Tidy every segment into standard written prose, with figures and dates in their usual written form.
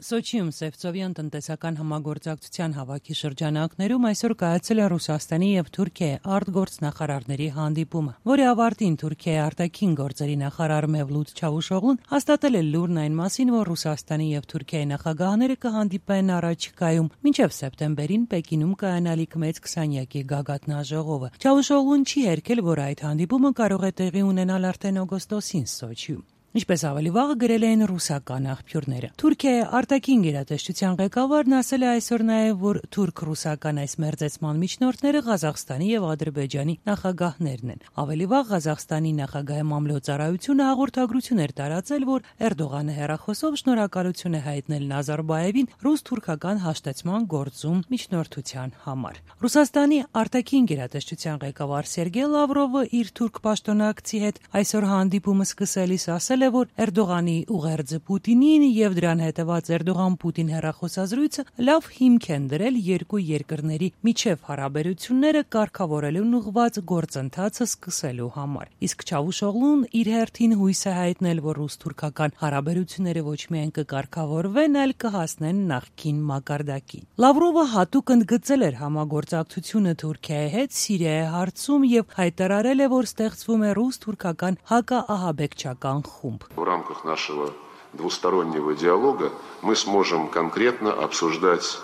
Սոչիում Սևծովյան տնտեսական համագործակցության հավաքի շրջանակներում այսօր կայացել է Ռուսաստանի եւ Թուրքիայի արտգործնախարարների հանդիպումը, որի ավարտին Թուրքիայի արտաքին գործերի նախարար Մևլութ Չավուշօղլուն հաստատել է լուրն այն մասին, որ Ռուսաստանի եւ Թուրքիայի նախագահները կհանդիպեն առաջիկայում մինչեւ սեպտեմբերին Պեկինում կայանալիք մեծ 20-յակի գագաթնաժողովը։ Չավուշօղլուն չի հերքել, որ այդ հանդիպումը կարող է տեղի ունենալ արդեն օգոստոսին Սոչիում։ Ինչպես ավելի վաղ գրել էին ռուսական աղբյուրները։ Թուրքիայի արտաքին գերատեսչության ղեկավարն ասել է այսօր նաև, որ թուրք-ռուսական այս մերձեցման միջնորդները Ղազախստանի եւ Ադրբեջանի նախագահներն են։ Ավելի վաղ Ղազախստանի նախագահի մամլոյ-ծառայությունը հաղորդագրություն էր տարածել, որ Էրդողանը հեռախոսով շնորհակալություն է հայտնել Նազարբաևին ռուս-թուրքական հաշտեցման գործում միջնորդության համար։ Ռուսաստանի արտաքին գերատեսչության ղեկավար Սերգեյ Լավրովը իր թուրք պաշտոնակցի հետ այսօր հանդիպումը սկսելիս ասել է, որ Էրդողանի ուղերձը Պուտինին եւ դրան հետեւած Էրդողան-Պուտին հեռախոսազրույցը լավ հիմք են դրել երկու երկրների միջև հարաբերությունները կարգավորելուն ուղղված գործընթացը սկսելու համար։ Իսկ Չավուշօղլուն իր հերթին հույս է հայտնել, որ ռուս-թուրքական հարաբերությունները ոչ միայն կկարգավորվեն, այլ կհասնեն նախկին մակարդակին։ Լավրովը հատուկ ընդգծել էր համագործակցությունը Թուրքիայի հետ Սիրիայի հարցում եւ հայտարարել է, որ ստեղծվում է ռուս-թուրքական հակաահաբեկչական խումբ։ В рамках нашего двустороннего диалога мы сможем конкретно обсуждать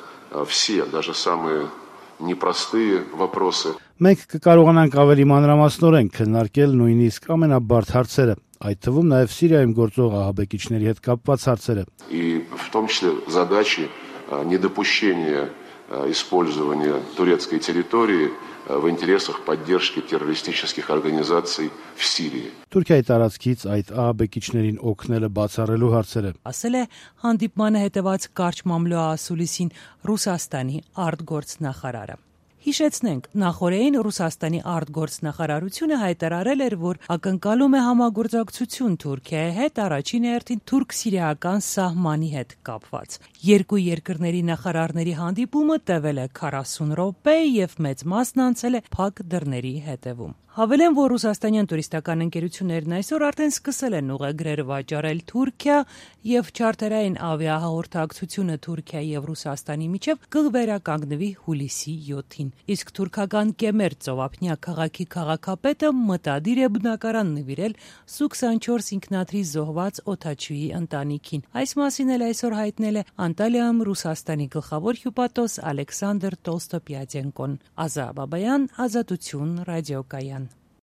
все, даже самые непростые вопросы. Մենք կկարողանանք ավելի մանրամասնորեն քննարկել նույնիսկ ամենաբարդ հարցերը, այդ թվում նաև Սիրիայում գործող ահաբեկիչների հետ կապված հարցերը։ И в том числе задачи недопущения использования турецкой территории в интересах поддержки террористических организаций в Сирии. Թուրքիայի տարածքից այդ ահաբեկիչներին օգնելը բացառելու հարցերը։ Ասել է հանդիպմանը հետևած կարճ մամլո ասուլիսին Ռուսաստանի արտգործնախարարը։ Հիշեցնենք, նախորդին Ռուսաստանի արտգործնախարարությունը հայտարարել էր, որ ակնկալում է համագործակցություն Թուրքիայի հետ առաջին հերթին թուրք-սիրիական սահմանի հետ կապված։ Երկու երկրների նախարարների հանդիպումը տևել է 40 րոպե եւ մեծ մասն անցել է փակ դռների հետևում։ Հավելեմ, որ ռուսաստանյան տուրիստական ընկերություններն այսօր արդեն սկսել են ուղեգրեր վաճառել Թուրքիա եւ չարտերային ավիահաղորդակցությունը Թուրքիայի եւ Ռուսաստանի միջև կվերականգնվի հուլիսի 7-ին։ Իսկ թուրքական Կեմեր ծովափնյա քաղաքի քաղաքապետը մտադիր է բնակարան նվիրել Սու-24 ինքնաթիռի զոհված օդաչուի ընտանիքին։ Այս մասին էլ այսօր հայտնել է Անտալիայում Ռուսաստանի գլխավոր հյուպատոս Ալեքսանդր Տոլստոպյադենկոն։ Ազա Բաբայան, Ազատություն, ռադիոկայան։